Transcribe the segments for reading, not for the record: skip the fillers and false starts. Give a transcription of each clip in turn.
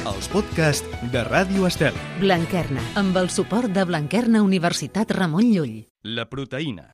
els podcasts de Ràdio Estel. Blanquerna, amb el suport de Blanquerna Universitat Ramon Llull. La proteïna.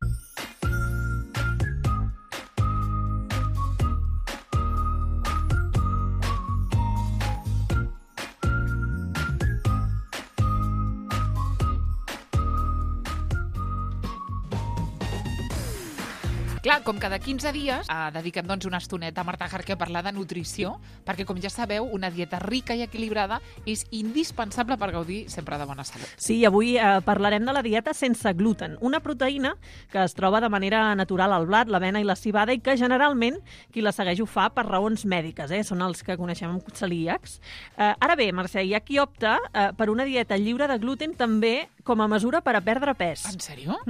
Clar, com cada 15 dies dediquem una estoneta a Marta Jarque a parlar de nutrició, perquè, com ja sabeu, una dieta rica i equilibrada és indispensable per gaudir sempre de bona salut. Sí, avui parlarem de la dieta sense gluten, una proteïna que es troba de manera natural al blat, l'avena i la civada i que generalment qui la segueix ho fa per raons mèdiques, són els que coneixem com celíacs. Ara bé, Mercè, hi ha qui opta per una dieta lliure de gluten també com a mesura per a perdre pes. En sèrio?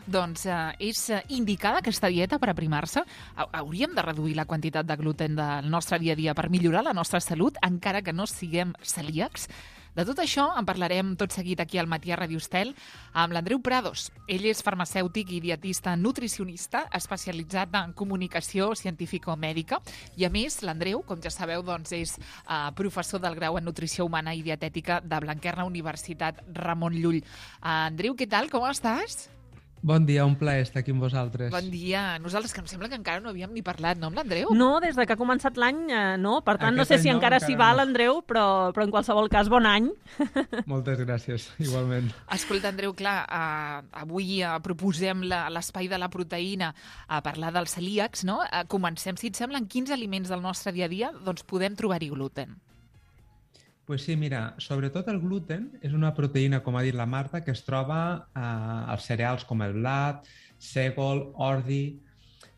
Doncs és indicada aquesta dieta per aprimar-se? Hauríem de reduir la quantitat de gluten del nostre dia a dia per millorar la nostra salut, encara que no siguem celíacs? De tot això en parlarem tot seguit aquí al Matí a Ràdio Estel amb l'Andreu Prados. Ell és farmacèutic i dietista nutricionista especialitzat en comunicació científico-mèdica i, a més, l'Andreu, com ja sabeu, és professor del grau en nutrició humana i dietètica de Blanquerna Universitat Ramon Llull. Andreu, què tal? Com estàs? Bon dia, un plaer estar aquí amb vosaltres. Bon dia. Nosaltres, que em sembla que encara no havíem ni parlat, no, amb l'Andreu? No, des de que ha començat l'any, no. Per tant, no sé si encara s'hi va l'Andreu, però en qualsevol cas, bon any. Moltes gràcies, igualment. Escolta, Andreu, clar, avui proposem l'espai de la proteïna a parlar dels celíacs, no? Comencem, si et sembla, en quins aliments del nostre dia a dia podem trobar-hi gluten? Pues sí, mira, sobretot el gluten és una proteïna, com ha dit la Marta, que es troba als cereals com el blat, sègol, ordi,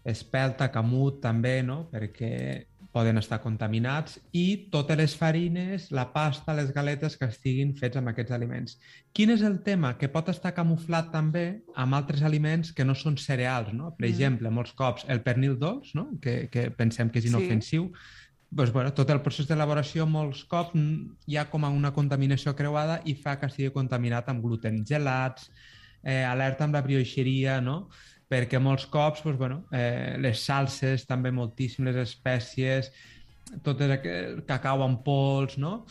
espelta, camut també, no? Perquè poden estar contaminats, i totes les farines, la pasta, les galetes que estiguin fets amb aquests aliments. Quin és el tema? Que pot estar camuflat també amb altres aliments que no són cereals, no? Per exemple, molts cops el pernil dolç, no? Que pensem que és inofensiu, doncs, tot el procés d'elaboració molts cops hi ha com una contaminació creuada i fa que estigui contaminat amb gluten. Gelats, alerta amb la brioixeria, no? Perquè molts cops les salses, també moltíssimes espècies, tot el cacau en pols, no?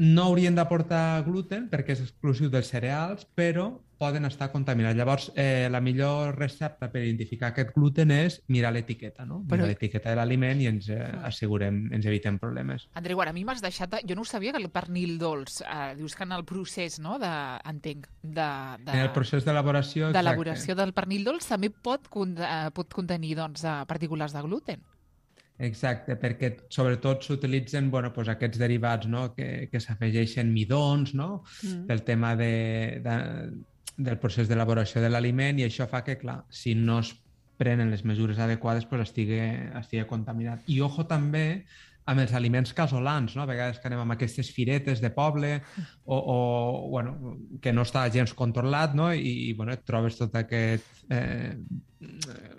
No haurien d'aportar gluten perquè és exclusiu dels cereals, però poden estar contaminats. Llavors, la millor recepta per identificar aquest gluten és mirar l'etiqueta, no? Mirar l'etiqueta de l'aliment i ens evitem problemes. Andreu, ara a mi m'has deixat... Jo no ho sabia, que el pernil dolç, dius que en el procés, no?, entenc, en el procés d'elaboració, exacte. D'elaboració del pernil dolç també pot contenir, partícules de gluten. Exacte, perquè sobretot s'utilitzen aquests derivats, no? que s'afegeixen midons, no? Pel tema del procés d'elaboració de l'aliment, i això fa que, clar, si no es prenen les mesures adequades, estigui contaminat. I ojo també amb els aliments casolans, no? A vegades que anem amb aquestes firetes de poble que no està gens controlat, no? I et trobes tot aquest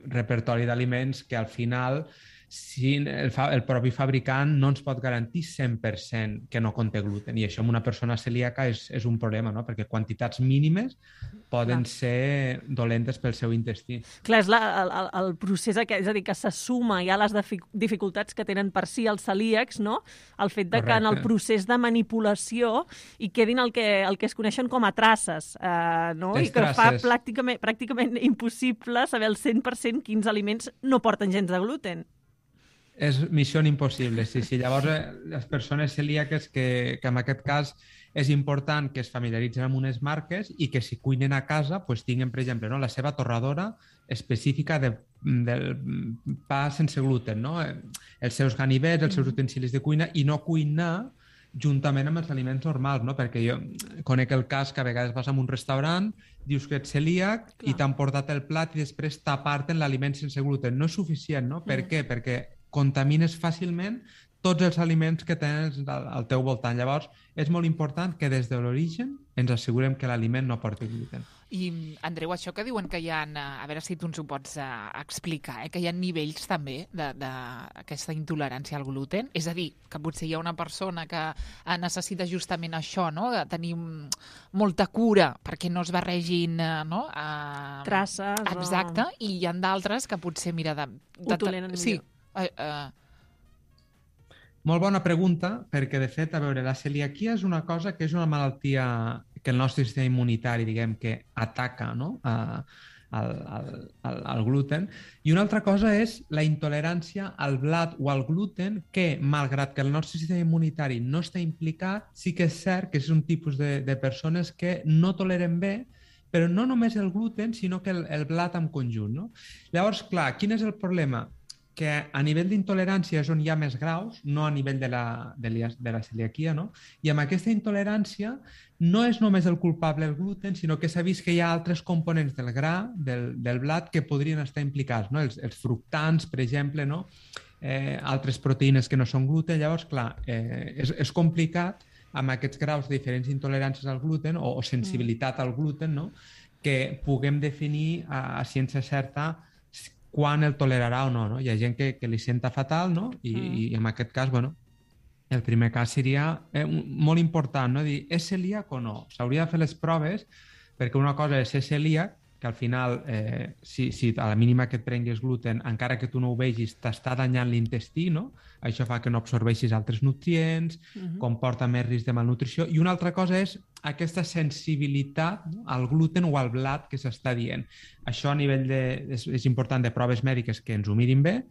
repertori d'aliments que al final si el propi fabricant no ens pot garantir 100% que no conté gluten, i això en una persona celíaca és un problema, no? Perquè quantitats mínimes poden ser dolentes pel seu intestí. Clar, és el procés aquest, és a dir, que se suma ja les dificultats que tenen per si els celíacs, no? El fet de que en el procés de manipulació hi quedin el que es coneixen com a traces, no? I que fa pràcticament impossible saber al 100% quins aliments no porten gens de gluten. És missió impossible, sí. Llavors, les persones celíaques que en aquest cas és important que es familiaritzen amb unes marques i que si cuinen a casa tinguin, per exemple, la seva torradora específica del pa sense gluten, no? Els seus ganivets, els seus utensilis de cuina, i no cuinar juntament amb els aliments normals, no? Perquè jo conec el cas que a vegades vas a un restaurant, dius que ets celíac i t'han portat el plat i després t'aparten l'aliment sense gluten. No és suficient, no? Per què? Perquè contamines fàcilment tots els aliments que tens al teu voltant. Llavors, és molt important que des de l'origen ens assegurem que l'aliment no porti gluten. I, Andreu, això que diuen que hi ha, a veure si tu ens ho pots explicar, que hi ha nivells també d'aquesta intolerància al gluten? És a dir, que potser hi ha una persona que necessita justament això, no?, de tenir molta cura perquè no es barregin, no?, traces. Exacte, i hi ha d'altres que potser, mira... Ho toleren millor. Sí. Molt bona pregunta, perquè de fet, a veure, la celiaquia és una cosa que és una malaltia que el nostre sistema immunitari, diguem, que ataca, no? Al gluten. I una altra cosa és la intolerància al blat o al gluten, que, malgrat que el nostre sistema immunitari no està implicat, sí que és cert que és un tipus de persones que no toleren bé, però no només el gluten, sinó que el blat en conjunt, no? Llavors, clar, quin és el problema? Que a nivell d'intolerància és on hi ha més graus, no a nivell de la celiaquia, no? I amb aquesta intolerància no és només el culpable el gluten, sinó que s'ha vist que hi ha altres components del gra, del blat, que podrien estar implicats, no? Els fructans, per exemple, no? Altres proteïnes que no són gluten. Llavors, clar, és complicat amb aquests graus de diferents intoleràncies al gluten o sensibilitat al gluten, no? Que puguem definir a ciència certa quan el tolerarà o no, no? Hi ha gent que li senta fatal, no? I en aquest cas, bueno, el primer cas seria molt important, no? Dir, és celíac o no? S'hauria de fer les proves, perquè una cosa és ser celíac, que al final, si a la mínima que et prenguis gluten, encara que tu no ho vegis, t'està danyant l'intestí, no? Això fa que no absorbeixis altres nutrients, comporta més risc de malnutrició. I una altra cosa és aquesta sensibilitat, no? Al gluten o al blat que s'està dient. Això a nivell és important de proves mèdiques que ens ho mirin bé,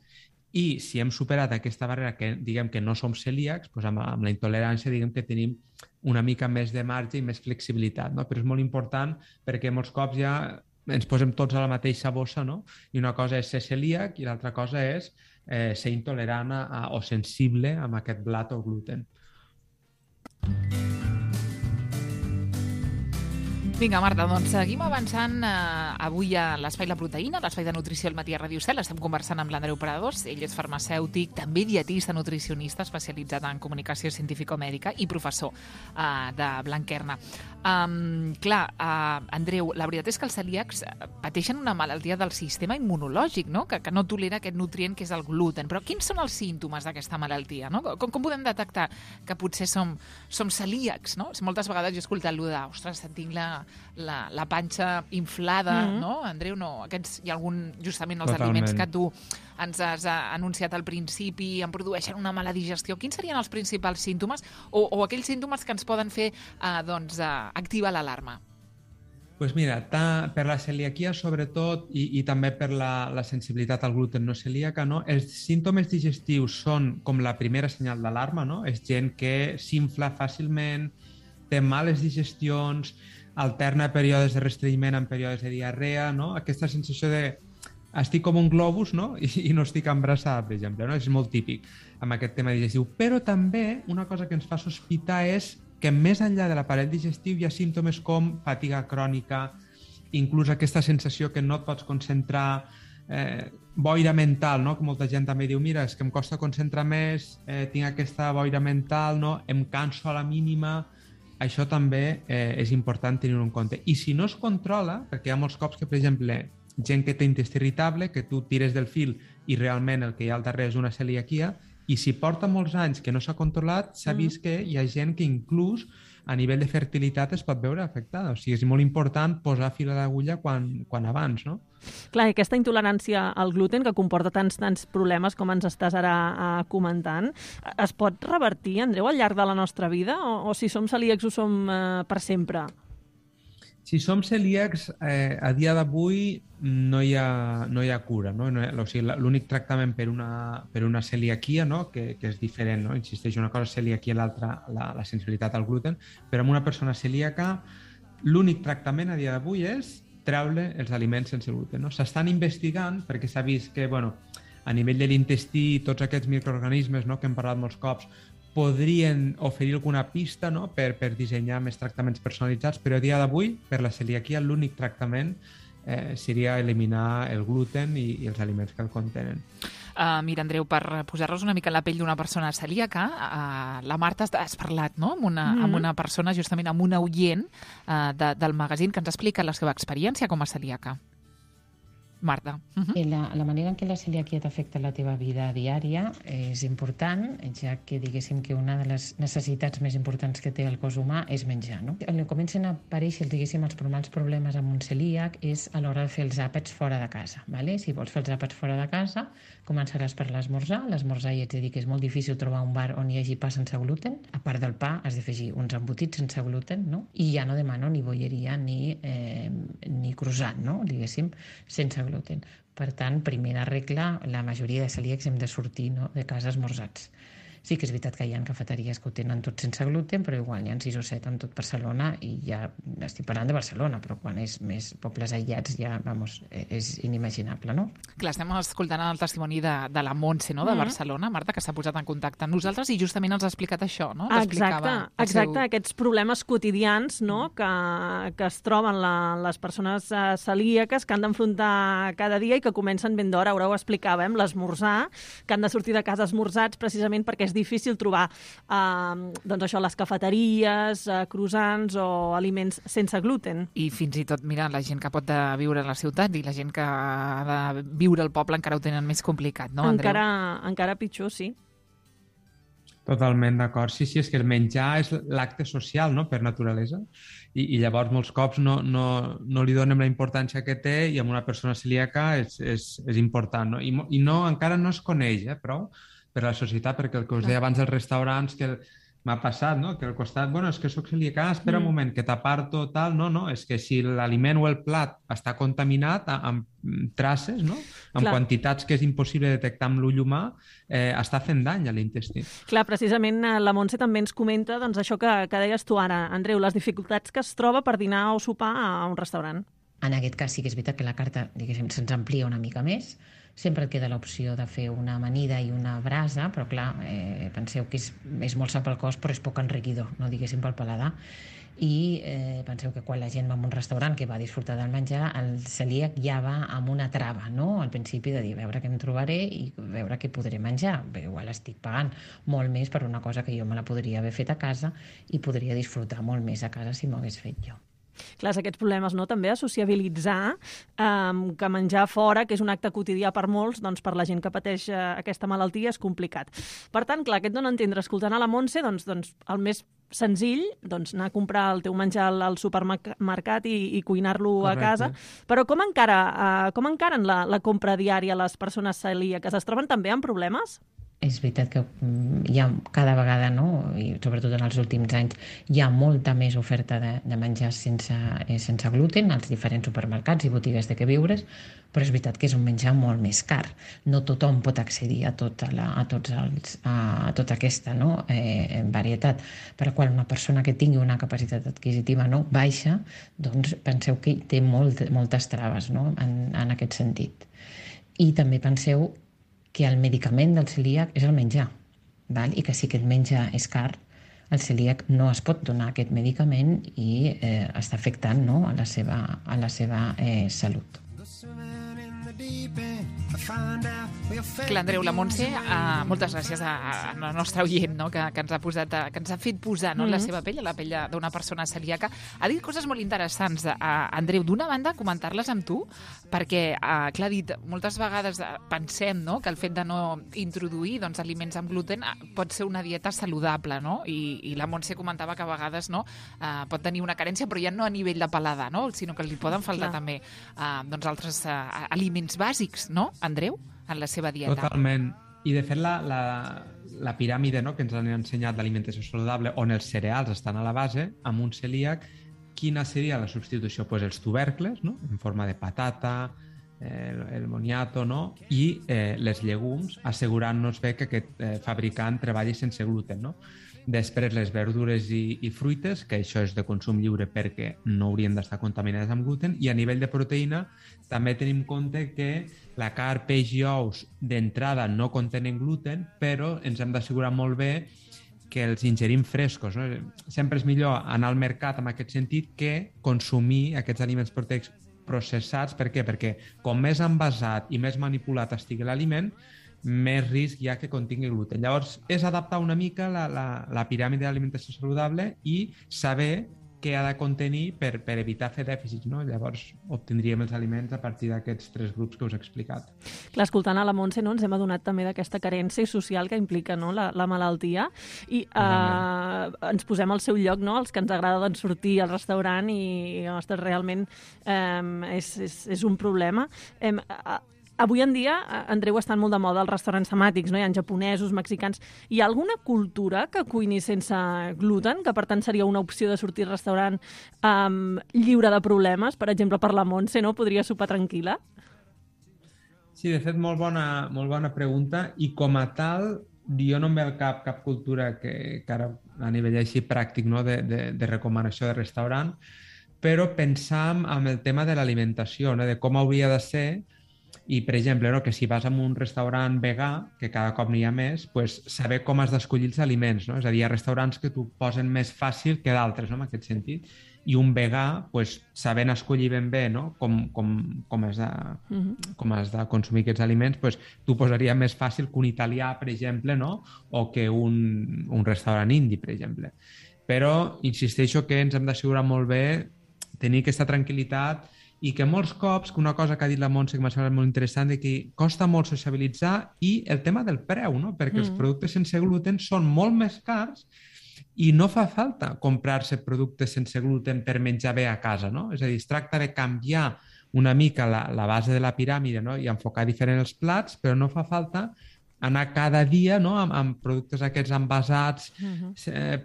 i si hem superat aquesta barrera que diguem que no som celíacs, doncs amb la intolerància diguem que tenim una mica més de marge i més flexibilitat, no? Però és molt important perquè molts cops ja ens posem tots a la mateixa bossa, no? I una cosa és ser celíac i l'altra cosa és ser intolerant o sensible amb aquest blat o gluten. Vinga, Marta, doncs seguim avançant avui a l'Espai La Proteïna, l'Espai de Nutrició al matí a Ràdio Cel. Estem conversant amb l'Andreu Prados. Ell és farmacèutic, també dietista nutricionista, especialitzat en comunicació científico-mèdica i professor de Blanquerna. Andreu, la veritat és que els celíacs pateixen una malaltia del sistema immunològic, no? Que no tolera aquest nutrient que és el gluten. Però quins són els símptomes d'aquesta malaltia? No? Com podem detectar que potser som celíacs? No? Moltes vegades he escoltat allò de, ostres, tinc la panxa inflada, no? Andreu, no. Hi ha justament els aliments que tu ens has anunciat al principi, em produeixen una mala digestió. Quins serien els principals símptomes o aquells símptomes que ens poden fer activar l'alarma? Doncs mira, per la celiaquia sobretot i també per la sensibilitat al gluten no celíaca, no? Els símptomes digestius són com la primera senyal d'alarma, no? És gent que s'infla fàcilment, té males digestions, alterna períodes de restrenyiment amb períodes de diarrea, no? Aquesta sensació de estic com un globus, no? I no estic embarassada, per exemple, no? És molt típic amb aquest tema digestiu. Però també una cosa que ens fa sospitar és que més enllà de l'aparell digestiu hi ha símptomes com fatiga crònica, inclús aquesta sensació que no et pots concentrar, boira mental, no? Que molta gent també diu, mira, és que em costa concentrar més, tinc aquesta boira mental, no? Em canso a la mínima. Això també és important tenir-ho en compte. I si no es controla, perquè hi ha molts cops que, per exemple, gent que té intestí irritable, que tu tires del fil i realment el que hi ha al darrere és una celiaquia, i si porta molts anys que no s'ha controlat, s'ha vist que hi ha gent que inclús a nivell de fertilitat es pot veure afectada. O sigui, és molt important posar fil a l'agulla quan abans, no? Clar, i aquesta intolerància al gluten que comporta tants problemes com ens estàs ara comentant, es pot revertir, Andreu, al llarg de la nostra vida? O si som celíacs ho som per sempre? Si som celíacs, a dia d'avui no hi ha cura, no? O sigui, l'únic tractament per una celiaquia, no? Que és diferent, no? Insisteix, una cosa és celiaquia i l'altra la sensibilitat al gluten, però en una persona celíaca l'únic tractament a dia d'avui és treure els aliments sense gluten, no? S'estan investigant perquè s'ha vist que, bueno, a nivell de l'intestí, tots aquests microorganismes, no? Que hem parlat molts cops, podrien oferir alguna pista, no? per dissenyar més tractaments personalitzats, però a dia d'avui, per la celiaquia, l'únic tractament seria eliminar el gluten i els aliments que el contenen. Mira, Andreu, per posar-nos una mica en la pell d'una persona celíaca, la Marta has parlat, no? amb una persona, justament amb una oient del magazín, que ens explica la seva experiència com a celíaca. Marta. La manera en què la celiaquia t'afecta la teva vida diària és important, ja que diguéssim que una de les necessitats més importants que té el cos humà és menjar, no? On comencen a aparèixer, diguéssim, els problemes amb un celíac és a l'hora de fer els àpats fora de casa, ¿vale? Si vols fer els àpats fora de casa, començaràs per l'esmorzar. L'esmorzar ja ets de dir que és molt difícil trobar un bar on hi hagi pa sense gluten. A part del pa has d'afegir uns embotits sense gluten, no? I ja no demano ni bolleria ni croissant, no? Diguéssim, sense gluten. Per tant, primera regla, la majoria de celíacs hem de sortir, no?, de casa esmorzats. Sí que és veritat que hi ha cafeteries que ho tenen tot sense gluten, però igual hi ha 6 o 7 en tot Barcelona i ja estic parlant de Barcelona, però quan és més pobles aïllats ja, vamos, és inimaginable, no? Clar, estem escoltant el testimoni de la Montse, no?, de Barcelona, Marta, que s'ha posat en contacte amb nosaltres i justament ens ha explicat això, no? Exacte, aquests problemes quotidians, no?, que es troben les persones celíaques que han d'enfrontar cada dia i que comencen ben d'hora, ara ho explicàvem, l'esmorzar, que han de sortir de casa esmorzats precisament perquè és difícil trobar doncs això, les cafeteries, croissants o aliments sense gluten. I fins i tot, mira, la gent que pot viure a la ciutat i la gent que ha de viure al poble encara ho tenen més complicat, no, Andreu? Encara pitjor, sí. Totalment d'acord. Sí, és que el menjar és l'acte social, no?, per naturalesa, i llavors molts cops no li donem la importància que té i amb una persona celíaca és important, no? I no, encara no es coneix, prou per la societat, perquè el que us deia abans dels restaurants, que m'ha passat, no?, que al costat, bueno, és que soc celíaca, espera un moment, que t'aparto, tal, no, és que si l'aliment o el plat està contaminat amb traces, no?, amb quantitats que és impossible detectar amb l'ull humà, està fent dany a l'intestí. Clar, precisament la Montse també ens comenta doncs, això que deies tu ara, Andreu, les dificultats que es troba per dinar o sopar a un restaurant. En aquest cas sí que és veritat que la carta, diguéssim, se'ns amplia una mica més. Sempre et queda l'opció de fer una amanida i una brasa, però clar, penseu que és molt sa pel cos, però és poc enriquidor, no diguéssim pel paladar. I penseu que quan la gent va a un restaurant que va disfrutar del menjar, el celíac ja va amb una trava, no?, al principi de dir, a veure què em trobaré i veure què podré menjar. Bé, igual estic pagant molt més per una cosa que jo me la podria haver fet a casa i podria disfrutar molt més a casa si m'ho hagués fet jo. Clar, aquests problemes, no?, també a sociabilitzar, que menjar fora, que és un acte quotidià per molts, doncs per la gent que pateix aquesta malaltia és complicat. Per tant, clar, aquest dona a entendre, escoltant a la Montse, doncs el més senzill, doncs anar a comprar el teu menjar al supermercat i cuinar-lo a casa. Però com encaren la compra diària les persones celíaques? Es troben també amb problemes? És veritat que hi ha cada vegada, no?, i sobretot en els últims anys, hi ha molta més oferta de menjar sense gluten als diferents supermercats i botigues de queviures, però és veritat que és un menjar molt més car. No tothom pot accedir a tota aquesta varietat, per la qual una persona que tingui una capacitat adquisitiva baixa, doncs penseu que té moltes traves, no?, en aquest sentit. I també penseu que el medicament del celíac és el menjar, val? I que si aquest menjar és car, el celíac no es pot donar aquest medicament i està afectant, no?, a la seva salut. Clar, Andreu, la Montse, moltes gràcies a la nostra oient, no?, que ens ha fet posar, no?, la seva pell, a la pell d'una persona celíaca. Ha dit coses molt interessants, Andreu. D'una banda, comentar-les amb tu, perquè, clar, ha dit, moltes vegades pensem, no?, que el fet de no introduir aliments amb gluten pot ser una dieta saludable, no?, i la Montse comentava que a vegades pot tenir una carència, però ja no a nivell de paladar, no?, sinó que li poden faltar també altres aliments bàsics, no, Andreu, en la seva dieta? Totalment. I, de fet, la piràmide, no?, que ens han ensenyat d'alimentació saludable, on els cereals estan a la base, amb un celíac, quina seria la substitució? Pues els tubercles, no?, en forma de patata, el moniato, no?, i les llegums, assegurant-nos bé que aquest fabricant treballi sense gluten, no? Després, les verdures i fruites, que això és de consum lliure perquè no haurien d'estar contaminades amb gluten, i a nivell de proteïna també tenim en compte que la carn, peix i ous d'entrada no contenen gluten, però ens hem d'assegurar molt bé que els ingerim frescos, no? Sempre és millor anar al mercat en aquest sentit que consumir aquests aliments proteics processats. Per què? Perquè com més envasat i més manipulat estigui l'aliment, més risc hi ha que contingui gluten. Llavors, és adaptar una mica la piràmide d'alimentació saludable i saber què ha de contenir per evitar fer dèficits, no? Llavors obtindríem els aliments a partir d'aquests 3 grups que us he explicat. Clar, escoltant a la Montse, no, ens hem adonat també d'aquesta carència social que implica, no, la malaltia, i ens posem al seu lloc, no, els que ens agrada doncs, sortir al restaurant i ostres, realment és un problema. Avui en dia, Andreu, estan molt de moda els restaurants temàtics, no? Hi ha japonesos, mexicans. Hi ha alguna cultura que cuini sense gluten, que per tant seria una opció de sortir al restaurant lliure de problemes? Per exemple, per la Montse, no? Podria sopar tranquil·la? Sí, de fet, molt bona pregunta. I com a tal, jo no em ve al cap cultura que ara a nivell així pràctic, no? de recomanació de restaurant, però pensam en el tema de l'alimentació, no? De com hauria de ser. I, per exemple, no, que si vas a un restaurant vegà, que cada cop n'hi ha més, pues, saber com has d'escollir els aliments. No? És a dir, hi ha restaurants que t'ho posen més fàcil que d'altres, no? En aquest sentit. I un vegà, pues, sabent escollir ben bé, no? com has de consumir aquests aliments, pues, t'ho posaria més fàcil que un italià, per exemple, no? O que un restaurant indi, per exemple. Però insisteixo que ens hem d'assegurar molt bé tenir aquesta tranquil·litat i que molts cops, que una cosa que ha dit la Montse que m'ha semblat molt interessant, de que costa molt sociabilitzar, i el tema del preu, no? Perquè els productes sense gluten són molt més cars i no fa falta comprar-se productes sense gluten per menjar bé a casa, no? És a dir, es tracta de canviar una mica la base de la piràmide, no? I enfocar diferent els plats, però no fa falta anar cada dia, no? amb productes aquests envasats,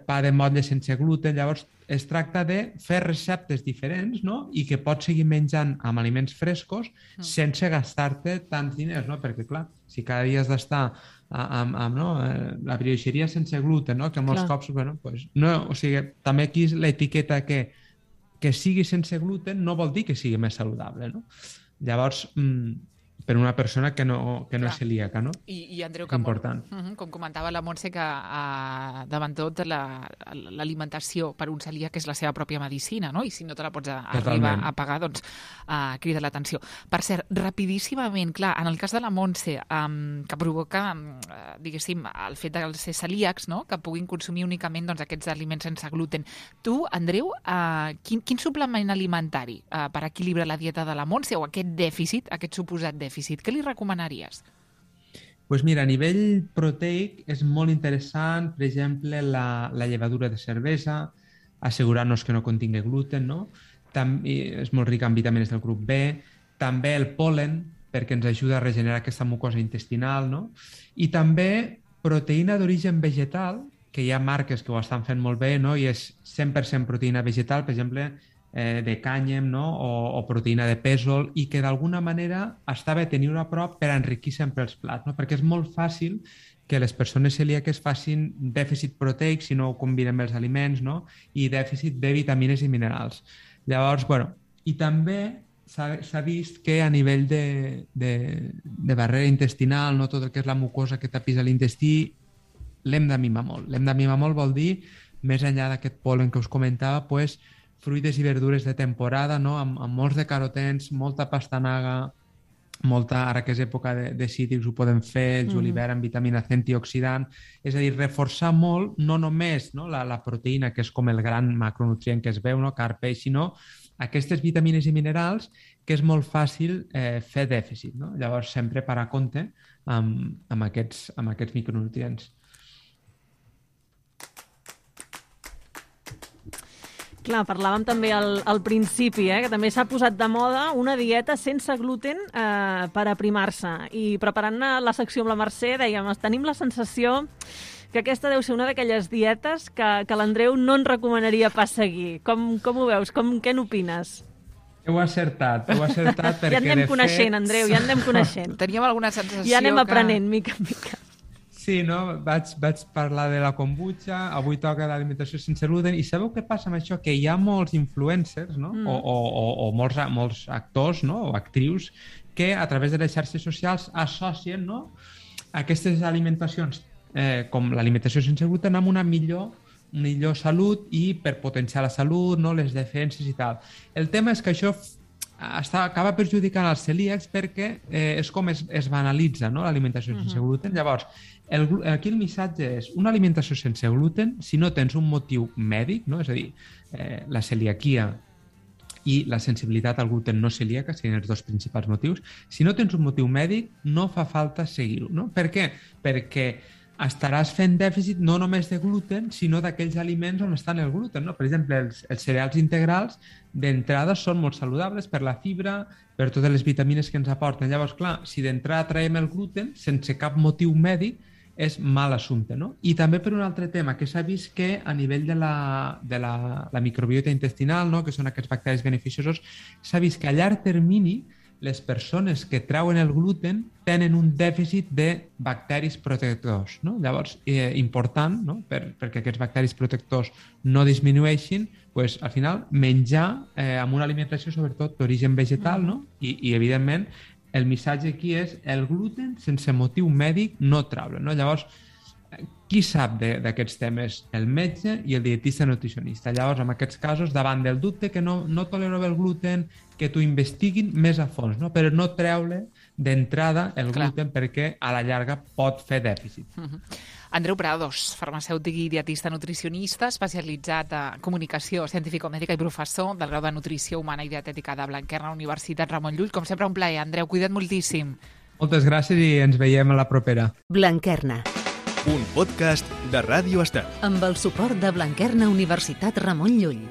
pa de motlle sense gluten. Llavors, es tracta de fer receptes diferents, no? I que pots seguir menjant amb aliments frescos sense gastar-te tants diners, no? Perquè, clar, si cada dia has d'estar amb la brioixeria sense gluten, no? Que molts cops, bueno, pues, no, o sigui, també aquí l'etiqueta que sigui sense gluten no vol dir que sigui més saludable, no? Llavors, per una persona que no és celíaca, no? I Andreu, és important. Com comentava la Montse, que davant tot l'alimentació per un celíac és la seva pròpia medicina, no? I si no te la pots arribar a pagar, doncs crida l'atenció. Per cert, rapidíssimament, clar, en el cas de la Montse, que provoca, diguéssim, el fet de ser celíacs, no? Que puguin consumir únicament aquests aliments sense gluten. Tu, Andreu, quin suplement alimentari per equilibrar la dieta de la Montse o aquest dèficit, aquest suposat dèficit, què li recomanaries? Pues mira, a nivell proteic és molt interessant, per exemple, la llevadura de cervesa, assegurant-nos que no contingui gluten, no? També és molt rica en vitamines del grup B, també el pol·len, perquè ens ajuda a regenerar aquesta mucosa intestinal, no? I també proteïna d'origen vegetal, que hi ha marques que ho estan fent molt bé, no? I és 100% proteïna vegetal, per exemple, de cànyem, no? o proteïna de pèsol, i que d'alguna manera està bé tenir-ho a prop per enriquir sempre els plats, no? Perquè és molt fàcil que les persones celíaques facin dèficit proteic si no ho combinen amb els aliments, no? I dèficit de vitamines i minerals. Llavors, bueno, i també s'ha vist que a nivell de barrera intestinal, no? Tot el que és la mucosa que tapisa l'intestí, l'hem de mimar molt. L'hem de mimar molt vol dir, més enllà d'aquest pol·len que us comentava, pues, fruites i verdures de temporada, no? Amb molts de carotens, molta pastanaga, ara que és època de cítrics ho podem fer, el julivert amb vitamina C antioxidant, és a dir, reforçar molt, no només, no? La proteïna, que és com el gran macronutrient que es veu, no? Carn, peix, sinó aquestes vitamines i minerals que és molt fàcil fer dèficit, no? Llavors, sempre parar compte amb aquests micronutrients. Clar, parlàvem també al principi, que també s'ha posat de moda una dieta sense gluten per aprimar-se. I preparant la secció amb la Mercè, dèiem, tenim la sensació que aquesta deu ser una d'aquelles dietes que l'Andreu no ens recomanaria pas seguir. Com ho veus? Què n'opines? Heu acertat perquè ja anem coneixent, Andreu, ja anem coneixent. Teníem alguna sensació ja anem aprenent, mica en mica. Sí, no? Vaig parlar de la kombucha, avui toca l'alimentació sense gluten, i sabeu què passa amb això? Que hi ha molts influencers, no? O molts actors, no? O actrius que a través de les xarxes socials associen, no? Aquestes alimentacions com l'alimentació sense gluten amb una millor salut i per potenciar la salut, no? Les defenses i tal. El tema és que això acaba perjudicant els celíacs perquè és com es banalitza, no? L'alimentació sense gluten. Llavors, Aquí el missatge és una alimentació sense gluten si no tens un motiu mèdic, no? És a dir, la celiaquia i la sensibilitat al gluten no celíaca serien els dos principals motius. Si no tens un motiu mèdic, no fa falta seguir-ho. No? Per què? Perquè estaràs fent dèficit no només de gluten, sinó d'aquells aliments on estan el gluten. No? Per exemple, els cereals integrals d'entrada són molt saludables per la fibra, per totes les vitamines que ens aporten. Llavors, clar, si d'entrada traiem el gluten sense cap motiu mèdic, és mal assumpte, no? I també per un altre tema, que s'ha vist que a nivell de la microbiota intestinal, no? Que són aquests bacteris beneficiosos, s'ha vist que a llarg termini les persones que treuen el gluten tenen un dèficit de bacteris protectors, no? Llavors, important, no? Perquè aquests bacteris protectors no disminueixin, pues, al final menjar amb una alimentació sobretot d'origen vegetal, no? I evidentment, el missatge aquí és el gluten sense motiu mèdic no treure, no? Llavors, qui sap d'aquests temes? El metge i el dietista nutricionista. Llavors, en aquests casos, davant del dubte que no tolero el gluten, que t'ho investiguin més a fons, no? Però no treure d'entrada el gluten perquè a la llarga pot fer dèficit. Andreu Prados, farmacèutic i dietista nutricionista, especialitzat en comunicació científico-mèdica i professor del grau de Nutrició Humana i Dietètica de Blanquerna, Universitat Ramon Llull. Com sempre, un plaer. Andreu, cuida't moltíssim. Moltes gràcies i ens veiem a la propera. Blanquerna. Un podcast de Ràdio Estel. Amb el suport de Blanquerna Universitat Ramon Llull.